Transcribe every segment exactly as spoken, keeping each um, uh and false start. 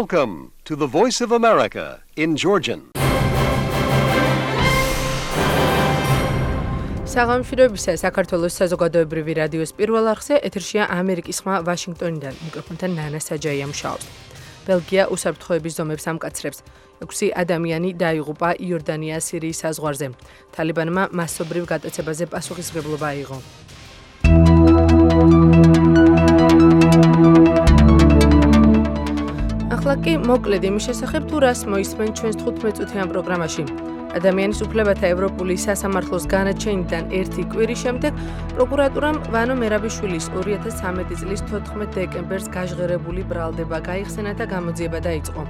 Welcome to the Voice of America in Georgian. საღამოშროებისა საქართველოს საზოგადოებრივი რადიოს პირველ არხზე ეთერშია ამერიკის ხმა ვაშინგტონიდან. მიკროფონთან ნანა საჯაია მუშაობს. ბელგია უსაფრთხოების ზომებს ამკაცრებს. ექვსი ადამიანი დაიღუპა იორდანია სირიის საზღვარზე. თალიბანმა მასობრივ გატაცებაზე პასუხისმგებლობა აიღო. ახლა კი მოკლედ იმის შესახებ თუ რას მოისმენ ჩვენს თხუთმეტწუთიან პროგრამაში. ადამიანის უფლებათა ევროპული სასამართლოს განაჩენიდან ერთი კვირის შემდეგ პროკურატურამ ვანო მერაბიშვილის ორი ათას ცხრამეტი წლის თოთხმეტ დეკემბერს გაჟღერებული ბრალდება გაიხსენა და გამოძიება დაიწყო.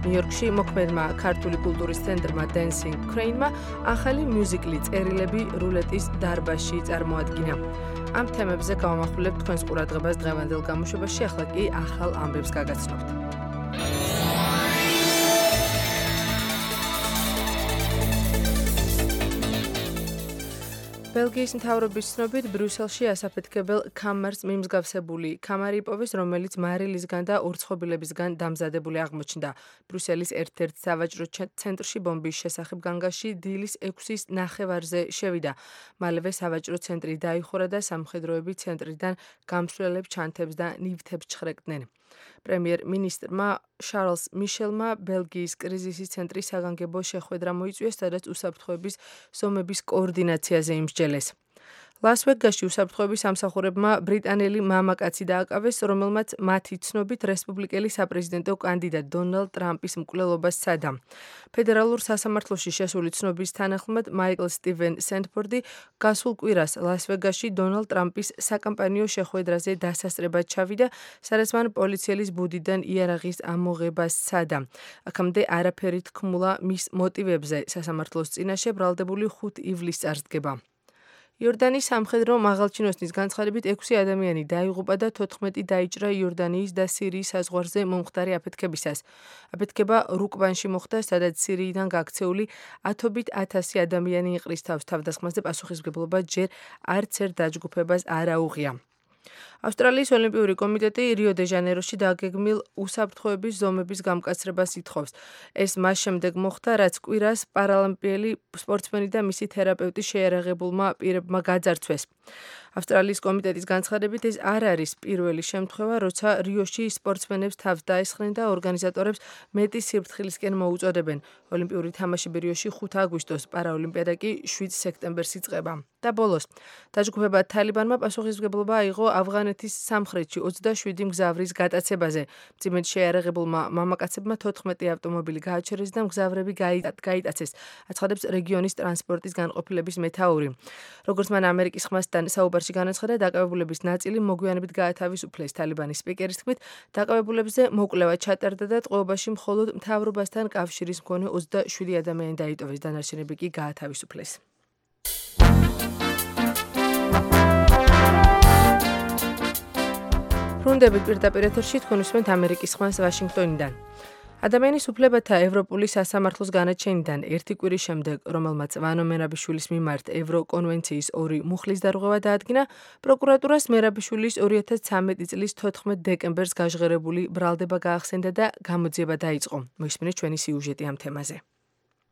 ნიუ-იორკში მოქმედმა ქართული კულტურის ცენტრმა Dancing Crane-მა ახალი მიუზიკლი წერილები რულეტის დარბაზში წარმოადგინა. ამ თემებზე გავამახვილებთ თქვენს ყურადღებას დღევანდელ გამოშვებაში, ახლა კი ახალ ამბებს გაგაცნობთ. ბელგიის მთავრობის ცნობით ბრიუსელში ასაფეთქებელ კამარს მიმსგავსებული კამარი იპოვეს, რომელიც მარილისგან და ორცხობილებისგან დამზადებული აღმოჩნდა. ბრიუსელის ერთ-ერთ სავაჭრო ცენტრში ბომბის შესახებ განგაში დილის ექვსის ნახევარზე შევიდა. მალევე სავაჭრო ცენტრი დაიხურა და სამხედროები ცენტრიდან გამსვლელებს ჩანთებს და ნივთებს ჩხრეკდნენ. პრემიერ-მინისტრმა შარლს მიშელმა ბელგიის კრიზისის ცენტრის საგანგებო შეხვედრა მოიწვიეს, სადაც უსაფრთხოების ზომების კოორდინაციაზე იმსჯელეს. ლას-ვეგასში უსაფრთხოების სამსახურებმა ბრიტანელი მამაკაცი დააკავეს, რომელმაც მათი ცნობით რესპუბლიკელი საპრეზიდენტო კანდიდატ დონალდ ტრამპის მკვლელობას სცადა. ფედერალურ სასამართლოში შესული ცნობის თანახმად მაიკლ სტივენ სენდფორდი გასულ კვირას ლას-ვეგასში დონალდ ტრამპის საკამპანიო შეხვედრაზე დასასწრებად ჩავიდა, სადაც მან პოლიციელის ბუდიდან იარაღის ამოღებას სცადა. აქამდე არაფერი თქმულა მის მოტივებზე. სასამართლოს წინაშე ბრალდებული ხუთ ივლისს წარსდგება. იორდანიის სამხედრო მაღალჩინოსნის განცხადებით ექვსი ადამიანი დაიღუპა და თოთხმეტი დაიჭრა იორდანიის და სირიის საზღვარზე მომხდარი აფეთქებისას. აფეთქება რუკბანში მოხდა, სადაც სირიიდან გაქცეული ათობით ათასი ადამიანი იყრის თავს. თავდასხმაზე პასუხისმგებლობა ჯერ არც ერთ დაჯგუფებას არ აუღია. ავსტრალიის ოლიმპიური კომიტეტი რიო-დე-ჟანეიროში დაგეგმილ უსაფრთხოების ზომების გამკაცრებას ითხოვს. ეს მას შემდეგ მოხდა, რაც კვირას პარალიმპიელი სპორტსმენი და მისი თერაპევტი შეიარაღებულმა პირებმა გაძარცვეს. ავსტრალიის კომიტეტის განცხადებით ეს არ არის პირველი შემთხვევა, როცა რიოში სპორტსმენებს თავს დაესხნენ და ორგანიზატორებს მეტი სიფრთხილისკენ მოუწოდებენ. ოლიმპიური თამაშები რიოში ხუთი აგვისტოს, პარაოლიმპიადა კი შვიდ სექტემბერს იწყება. და ბოლოს, დაჯგუფება თალიბანმა პასუხისმგებლობა აიღო ავღანეთის სამხრეთში ოცდაშვიდი მგზავრის გატაცებაზე. მძიმედ შეიარაღებულმა მამაკაცებმა თოთხმეტი ავტომობილი გააჩერეს და მგზავრები გაიტაცეს, აცხადებს რეგიონის ტრანსპორტის განყოფილების მეთაური. როგორც მან ამერიკის ხმასთან საუბარში განაცხადა, დაკავებულების ნაწილი მოგვიანებით გაათავისუფლეს. თალიბანის სპიკერის თქმით, დაკავებულებზე მოკვლევა ჩატარდა და ტყვეობაში მხოლოდ მთავრობასთან კავშირის მქონე ოცდაშვიდი ადამიანი დაიტოვეს, დანარჩენები კი გაათავისუფლეს. ბრუნდებით პირდაპირ ეთერში, თქვენ უსმენთ ამერიკის ხმას ვაშინგტონიდან. ადამიანის უფლებათა ევროპული სასამართლოს განაჩენიდან ერთი კვირის შემდეგ, რომელმაც ვანო მერაბიშვილის მიმართ ევროკონვენციის ორი მუხლის დარღვევა დაადგინა, პროკურატურას მერაბიშვილის ორი ათას ცხრამეტი წლის თოთხმეტ დეკემბერს გაჟღერებული ბრალდება გაახსენდა და გამოძიება დაიწყო. მოისმინეთ ჩვენი სიუჟეტი ამ თემაზე.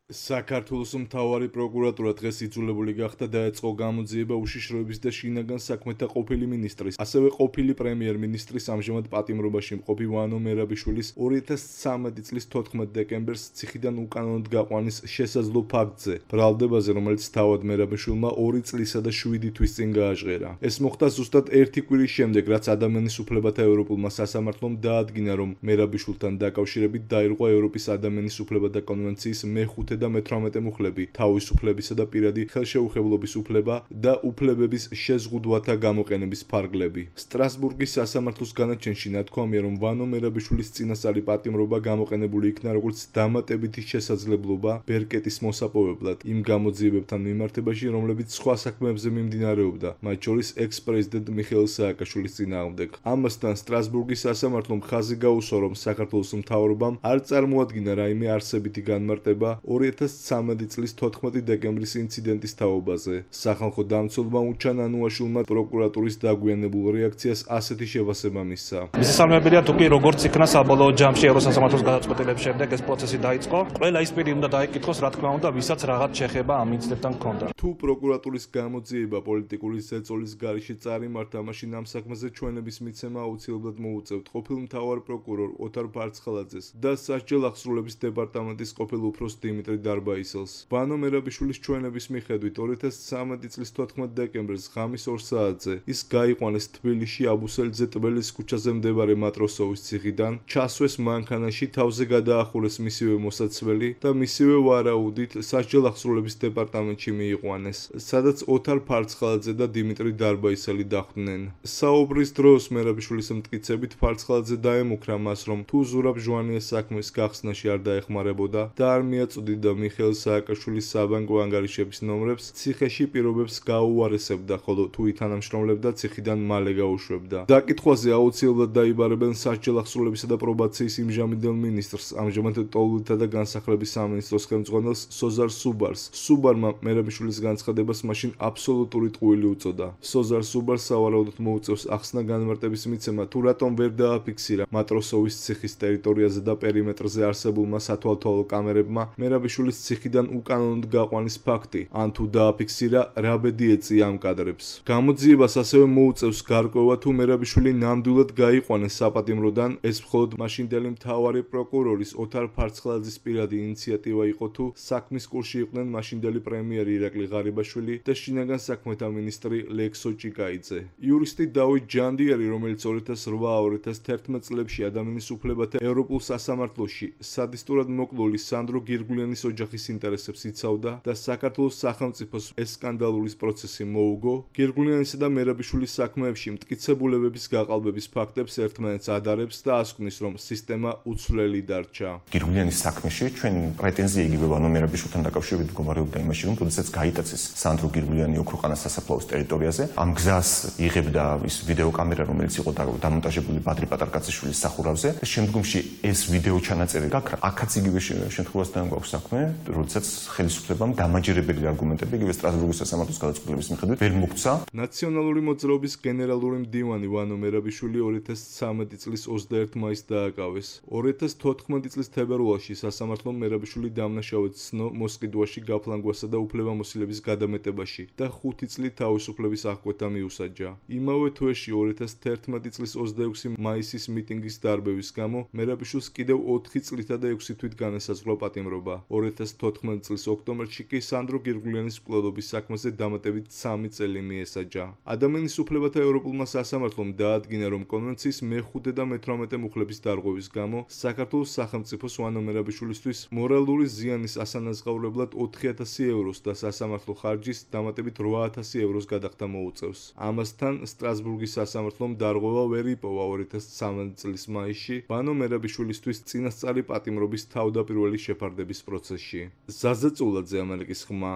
საქართველოს მთავარი პროკურატურა დღეს იძულებული გახდა დაეწყო გამოძიება უშიშროების და შინაგან საქმეთა ყოფილი მინისტრის, ასევე ყოფილი პრემიერ-მინისტრის ამჟამად პატიმრობაში მყოფი ვანო მერაბიშვილის ორი ათას ცხრამეტი წლის თოთხმეტ დეკემბერს ციხიდან უკანონოდ გაყვანის შესაძლო ფაქტზე, ბრალდებაზე, რომელიც თავად მერაბიშვილმა ორი წლისა და შვიდი თვის წინ გააჟღერა. ეს მოხდა ზუსტად ერთი კვირის შემდეგ, რაც ადამიანის უფლებათა ევროპულმა სასამართლომ დაადგინა, რომ მერაბიშვილთან დაკავშირებით დაირღვა ევროპის ადამიანის უფლებათა კონვენციის მეხუთე და მეთვრამეტე მუხლები, თავისუფლებისა და პირადი ხელშეუხებლობის უფლება და უფლებების შეზღუდვათა გამოყენების ფარგლები. სტრასბურგის სასამართლოს განაჩენში ნათქვამია, რომ ვანო მერაბიშვილის წინასწარი პატიმრობა გამოყენებული იქნა როგორც დამატებითი შესაძლებლობა ბერკეტის მოსაპოვებლად იმ გამოძიებებთან მიმართებაში, რომლებიც სხვა საქმეებზე მიმდინარეობდა, მათ შორის ექს-პრეზიდენტ მიხეილ სააკაშვილის წინააღმდეგ. ამასთან სტრასბურგის სასამართლომ ხაზი გაუსვა, რომ საქართველოს მთავრობამ არ წარმოადგინა რაიმე არსებითი განმარტება ორი ორი ათას ცხრამეტი წლის თოთხმეტი დეკემბრის ინციდენტის თაობაზე. სახალხო დამცველმა უჩან ანუაშვილმა პროკურატურის დაგვიანებულ რეაქციას ასეთი შევასება მისცა. მისასალმებელია თუ კი როგორც იქნა საბოლოო ჯამში ევროსასამართლოს გადაწყვეტილების შემდეგ ეს პროცესი დაიწყო. ყველა ის პირი უნდა დაიკითხოს, რა თქმა უნდა, ვისაც რაღაც შეხება ამ ინციდენტთან ჰქონდა. თუ პროკურატურის გამოძიება პოლიტიკური ზეწოლის გარეშე წარიმართა, მაშინ ამ საქმეზე ჩვენების მიცემა აუცილებლად მოუწევთ ყოფილ მთავარ პროკურორ ოთარ ფარცხალაძეს და სასჯელ აღსრულების დეპარტამენტის ყოფილ უფროს დიმიტრი დარბაისელს. ბანო მერაბიშვილის ჩვენების მიხედვით ორი ათას ცხრამეტი წლის თოთხმეტ დეკემბერს ღამის ორ საათზე ის გაიყვანეს თბილისში აბუსელიძე ტბელის ქუჩაზე მდებარე მატროსოვის ციხიდან, ჩასვეს მანქანაში, თავზე გადაახურეს მისივე მოსაცველი და მისივე ვარაუდით სასჯელ აღსრულების დეპარტამენტში მიიყვანეს, სადაც ოთარ ფარცხალაძე და დიმიტრი დარბაისელი დახვდნენ. საუბრის დროს მერაბიშვილის მტკიცებით ფარცხალაძე დაემუქრა მას, რომ თუ ზურაბ ჟვანიას საქმის გახსნაში არ დაეხმარებოდა და არ მიაწოდიდა მიხეილ სააკაშვილის საბანკო ანგარიშების ნომრებს, ციხეში პირობებს გაუარესებდა, ხოლო თუ ითანამშრომლებდა, ციხიდან მალე გაუშვებდა. დაკითხვაზე აუცილებლად დაიბარებენ სასჯელ აღსრულებისა და პრობაციის იმჟამინდელ მინისტრს, ამჟამად ტოლობითა და განსახლების სამინისტროს ხელმძღვანელს სოზარ სუბარს. სუბარმა მერაბიშვილის განცხადებას მაშინ აბსოლუტური ტყუილი უწოდა. სოზარ სუბარს სავარაუდოდ მოუწევს ახსნა განმარტების მიცემა, თუ რატომ ვერ დააფიქსირა მატროსოვის ციხის ტერიტორიაზე და პერიმეტრზე არსებულმა სათვალთვალო კამერებმა მერაბიშვილის ციხიდან უკანონოდ გაყვანის ფაქტი, ან თუ დააფიქსირა, რა ბედი ეწია ამ კადრებს. გამოძიებას ასევე მოუწევს გარკვევა, თუ მერაბიშვილი ნამდვილად გაიყვანეს საპატიმროდან, ეს მხოლოდ მაშინდელი მთავარი პროკურორის ოთარ ფარცხალაძის პირადი ინიციატივა იყო, თუ საქმის კურსში იყვნენ მაშინდელი პრემიერი ირაკლი ღარიბაშვილი და შინაგან საქმეთა მინისტრი ლექსო ჭიკაიძე. იურისტი დავით ჯანდიერი, რომელიც ორი ათას რვა ორი ათას თერთმეტ წლებში ადამიანის უფლებათა ევროპულ სასამართლოში სადისტურად მოკლული სანდრო გირგულიანის ოჯახის ინტერესებს იცავდა და საქართველოს სახელმწიფოს ეს სკანდალურის პროცესი მოუგო, გირგულიანისა და მერაბიშვილის საქმეებში მტკიცებულებების გაყალბების ფაქტებს ერთმანეთს ადარებს და ასკვნის, რომ სისტემა უცვლელი დარჩა. გირგულიანის საქმეში ჩვენ პრეტენზია იგივე ბანო მერაბიშვილთან დაკავშირებით მდგომარეობდა იმაში, რომ როდესაც გაიტაცეს სანდრო გირგულიანი ოქროყანას სასაფლაოს ტერიტორიაზე, ამ გზას იღებდა ის ვიდეოკამერა, რომელიც იყო დამონტაჟებული ბადრი პატარკაციშვილის სახურავზე და შემდგომში ეს ვიდეო ჩანაწერი გაქრა. აქაც იგივე შემთხვევასთან გვაქვს საქმე, როდესაც ხელისუფლებამ დამაჯერებელი არგუმენტები იგივე სტრასბურგის სასამართლოს გადაწყვეტილების მიხედვით ვერ მოგცა. ნაციონალური მოძრაობის გენერალური მდივანი ვანო მერაბიშვილი ორი ათას ცხრამეტი წლის ოცდაერთი მაისს დააკავეს. ორი ათას თოთხმეტი წლის თებერვალში სასამართლომ მერაბიშვილი დამნაშავედ ცნო მოსყიდვაში, გაფლანგვასა და უფლებამოსილების გადამეტებაში და ხუთი წლით თავისუფლების აღკვეთა მიუსაჯა. იმავე თვეში ორი ათას თერთმეტი წლის ოცდაექვსი მაისის მიტინგის დარბევის გამო მერაბიშვილს კიდევ ოთხი წლითა და ექვსი თვით განესაზღვრა პატიმრობა. ორი ათას თოთხმეტი წლის ოქტომბერში კი სანდრო გირგულიანის მკვლელობის საქმეზე დამატებით სამი წელი მიესაჯა. ადამიანის უფლებათა ევროპულმა სასამართლომ დაადგინა, რომ კონვენციის მეხუთე და მეთვრამეტე მუხლების დარღვევის გამო საქართველოს სახელმწიფოს ვანო მერაბიშვილისთვის მორალური ზიანის ასანაზღაურებლად ოთხი ათასი ევროს და სასამართლო ხარჯის დამატებით რვა ათასი ევროს გადახდა მოუწევს. ამასთან სტრასბურგის სასამართლომ დარღვევა ვერ იპოვა ორი ათას ცხრამეტი წლის მაისში ბანო მერაბიშვილისთვის წინასწარი პატიმრობის თავდაპირველი შეფარდების პროცესში. ზაზა წულაძე, ამერიკის ხმა,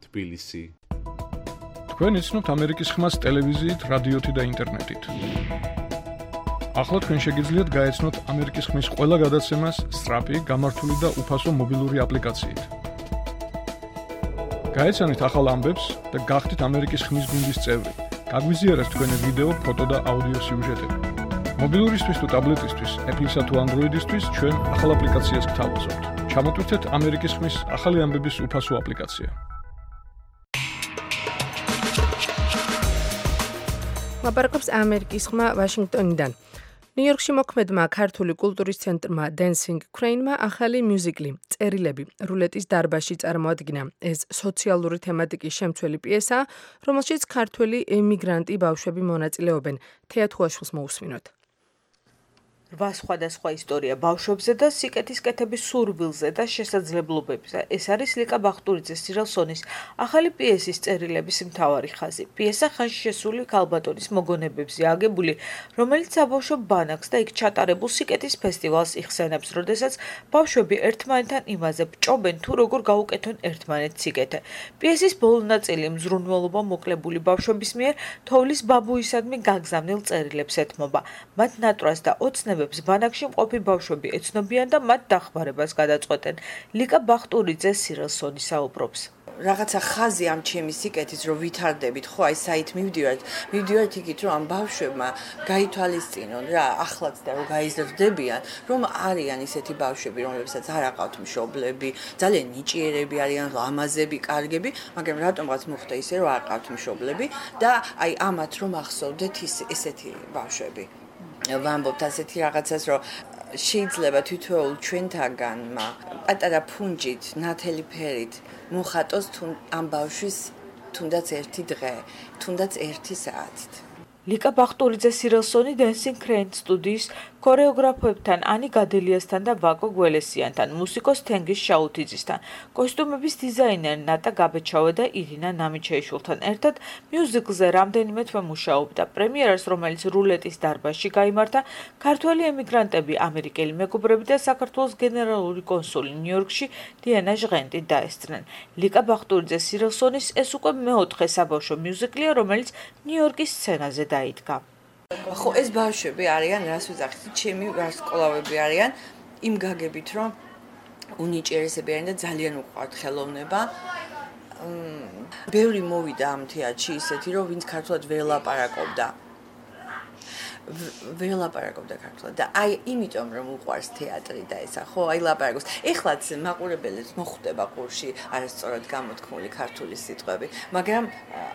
თბილისი. თქვენ იცნობთ ამერიკის ხმას ტელევიზიით, რადიოთი და ინტერნეტით. ახლა თქვენ შეგიძლიათ გაეცნოთ ამერიკის ხმის ყველა გადაცემას სწრაფი, გამართული და უფასო მობილური აპლიკაციით. გაეცანით ახალ ამბებს და გახდით ამერიკის ხმის გუნდის წევრი. გაგვიზიარეთ თქვენი ვიდეო, ფოტო და აუდიო სიუჟეტები. მობილურისთვის თუ ტაბლეტისთვის, Apple-ისა თუ Android-ისთვის ჩვენ ახალ აპლიკაციას გთავაზობთ. ჩამოტვირთეთ ამერიკის ხმის ახალი ამბების უფასო აპლიკაცია. ლაპარაკობს ამერიკის ხმა ვაშინგტონიდან. ნიუ-იორკში მოქმედმა ქართული კულტურის ცენტრმა Dancing Crane-მა ახალი მიუზიკლი წერილები რულეტის დარბაზში წარმოადგინა. ეს სოციალური თემატიკის შემცველი პიესაა, რომელშიც ქართველი ემიგრანტი ბავშვები მონაწილეობენ. თეატრაშვილს მოусმინოთ. რვა სხვადასხვა ისტორია ბავშვებზე და სიკეთის კეთების სურვილზე და შესაძლებლობებზე. ეს არის ლიკა ბახტურიძეს სირელსონის ახალი პიესის წერილების მთავარი ხაზი. პიესა ხანში შესული ქალბატონის მოგონებებზე აგებული, რომელიც საბავშვო ბანაკს და იქ ჩატარებულ სიკეთის ფესტივალს იხსენებს, როდესაც ბავშვები ერთმანეთთან იმაზე ბჭობენ, თუ როგორ გაუკეთონ ერთმანეთს სიკეთე. პიესის ბოლო ნაწილი მზრუნველობა მოკლებული ბავშვების მიერ თოვლის ბაბუისადმი გაგზავნილ წერილებს ეთმობა. მათ ნატრას და ოცნებს ქორწინებებს ბანაკში მყოფი ბავშვები ეცნობიან და მათ დახმარებას გადაწყვეტენ. ლიკა ბახტურიძე სირელსონი საუბრობს. რაღაცა ხაზი ამ ჩემი სიკეთის რომ ვითარდებით ხო აი საით მივდივართ მივდივართ იქით რომ ამ ბავშვებმა გაითვალისწინონ რა ახლაც და რომ გაიზრდებიან რომ არიან ისეთი ბავშვები რომლებსაც არ აყავთ მშობლები ძალიან ნიჭიერები არიან ლამაზები კარგები მაგრამ რატომღაც მოხდა ისე რომ არ აყავთ მშობლები და აი ამათ რომ ახსოვდეთ ის ესეთი ბავშვები ვამბობთ ასეთი რაღაცას რომ შეიძლება თითოეულ ჩვენთაგანმა პატარა ფუნჯით ნათელი ფერით მოხატოს თუ ამ ბავშვის თუნდაც ერთი დღე, თუნდაც ერთი საათით. ლიკა ბახტურიძე სირელსონი Dancing Crane სტუდიის ქორეოგრაფებთან ანი გადელიასთან და ვაკო გველესიანთან, მუსიკოს თენგის შაუთიძისთან, კოსტუმების დიზაინერ ნატა გაბეჩავა და ირინა ნამიჩეიშვილთან ერთად მიუზიკლზე რამდენიმე თვე მუშაობდა. პრემიერას, რომელიც რულეტის დარბაზში გაიმართა, ქართველი ემიგრანტები, ამერიკელი მეგობრები და საქართველოს გენერალური კონსული ნიუ-იორკში დიანა ჟღენტი დაესწრნენ. ლიკა ბახტურიძე სირელსონის ეს უკვე მეოთხე საბავშვო მიუზიკლია, რომელიც ნიუ-იორკის სცენაზე დაიდგა. ხო ეს ბავშვები არიან რას ვიზახით ჩემი ვარსკვლავები არიან იმ გაგებით რომ უნიჭიერესები არიან და ძალიან უყვართ ხელოვნება ბევრი მოვიდა ამ თეატრში ისეთი რომ ვინც ქართულად ვერ ლაპარაკობდა ვერ ლაპარაკობდა ქართულად და აი იმიტომ რომ უყვარს თეატრი და ესა ხო აი ლაპარაკობს ეხლაც მაყურებელებს მოხვდება ყურში არასწორად გამოთქმული ქართული სიტყვები მაგრამ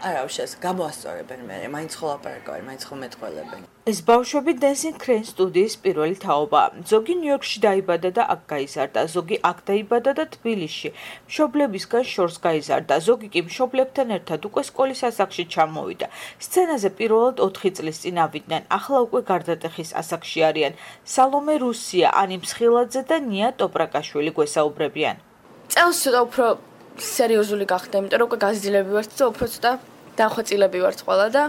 არა უშავს გამოასწორებენ მე მაინც ხო ლაპარაკობენ მაინც ხო მეტყველებენ ეს ბავშვები Dancing Crane სტუდიის პირველი თაობაა. ზოგი ნიუ-იორკში დაიბადა და აქ გაიზარდა, ზოგი აქ დაიბადა და თბილისში. მშობლებისგან შორს გაიზარდა, ზოგი კი მშობლებთან ერთად უკვე სკოლის ასაკში ჩამოვიდა. სცენაზე პირველად ოთხი წლის წინ ავიდნენ, ახლა უკვე გარდატეხის ასაკში არიან. სალომე რუსია, ანი მსხილაძე და ნია ტოპრაკაშვილი გვესაუბრებიან. წელს ცოტა უფრო სერიოზული გახდა, იმიტომ რომ უკვე გაზრდილები ვართ და უფრო ცოტა დახვეწილები ვართ ყველა და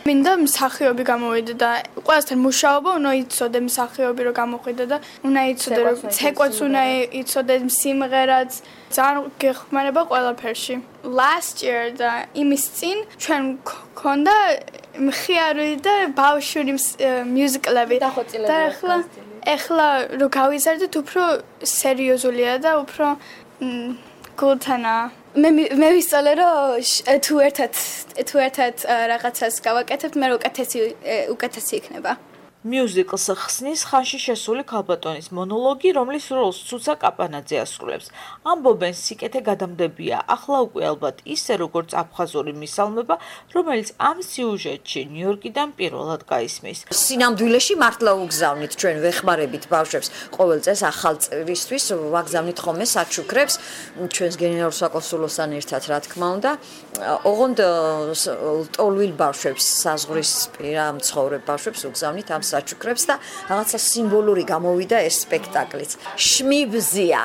მინდა მსახიობი გამოვიდა და ყველასთან მუშაობა უნდა იცოდე მსახიობი რომ გამოყვიდა და უნდა იცოდე რომ ცეკვაც უნდა იცოდე სიმღერაც ძალიან გეხმარება ყველაფერში. Last year და იმის წინ ჩვენ გქონდა მხიარი და ბავშვური მიუზიკლები და ახლა ახლა რო გავიზარდეთ უფრო სერიოზულია და უფრო გულთანა მე მე ვისწავლე რომ თუ ერთად თუ ერთად რაღაცას გავაკეთებთ მე უკეთესი უკეთესი იქნება მიუზიკლს ხსნის ხანში შესული ქალბატონის მონოლოგი, რომლის როლს ცუცა კაპანაძე ასრულებს. ამბობენ სიკეთე გადამდებია, ახლა უკვე ალბათ ისე როგორც აფხაზური მისალმება, რომელიც ამ სიუჟეტში ნიუ-იორკიდან პირველად გაისმის. სინამდვილეში მართლა უგზავნით ჩვენ ვეხმარებით ბავშვებს ყოველ წელს ახალ წლისთვის ვაგზავნით ხოლმე საჩუქრებს ჩვენს გენერალურ საკონსულოსთან ერთად რა თქმა უნდა. ოღონდ ტოლვილ ბავშვებს საზღვრისპირა მცხოვრებ ბავშვებს ვუგზავნით ამ საჩუქრებს და რაღაცა სიმბოლური გამოვიდა ეს სპექტაკლიც. შმიბზია.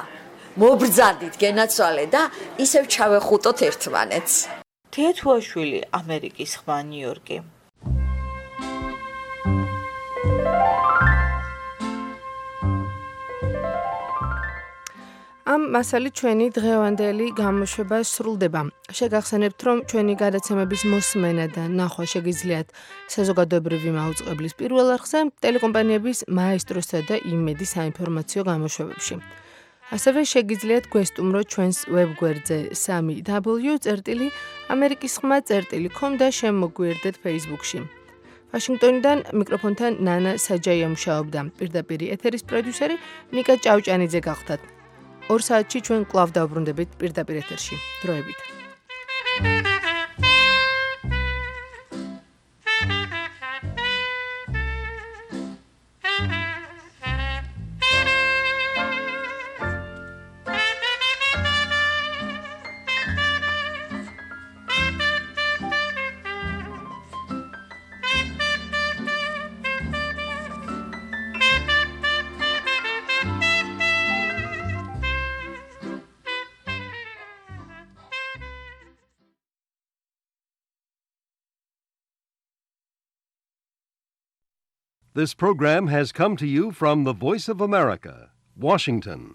მობრძადით გენაცვალე და ისევ ჩავეხუტოთ ერთმანეთს. თეთუაშვილი, ამერიკის ხმა, ნიუ-იორკი. ამ მასალით ჩვენი დღევანდელი გამოშვება სრულდება. შეგახსენებთ, რომ ჩვენი გადაცემების მოსმენა და ნახვა შეგიძლიათ საზოგადოებრივი მაუწყებლის პირველ არხზე, ტელეკომპანიების მაესტროსა და იმედი საინფორმაციო გამოშვებებში. ასევე შეგიძლიათ გვესტუმროთ ჩვენს ვებგვერდზე სამი დაბლიუ წერტილი ამერიკის ხმა წერტილი com და შემოგვიერთდეთ Facebook-ში. ვაშინგტონიდან მიკროფონთან ნანა საჯაია მუშაობდა. პირდაპირ ეთერის პროდიუსერი ნიკა ჭავჭანიძე გახდათ. ორ საათში ჩვენ კვლავ დავბრუნდებით პირდაპირ ეთერში. დროებით. This program has come to you from the Voice of America, Washington.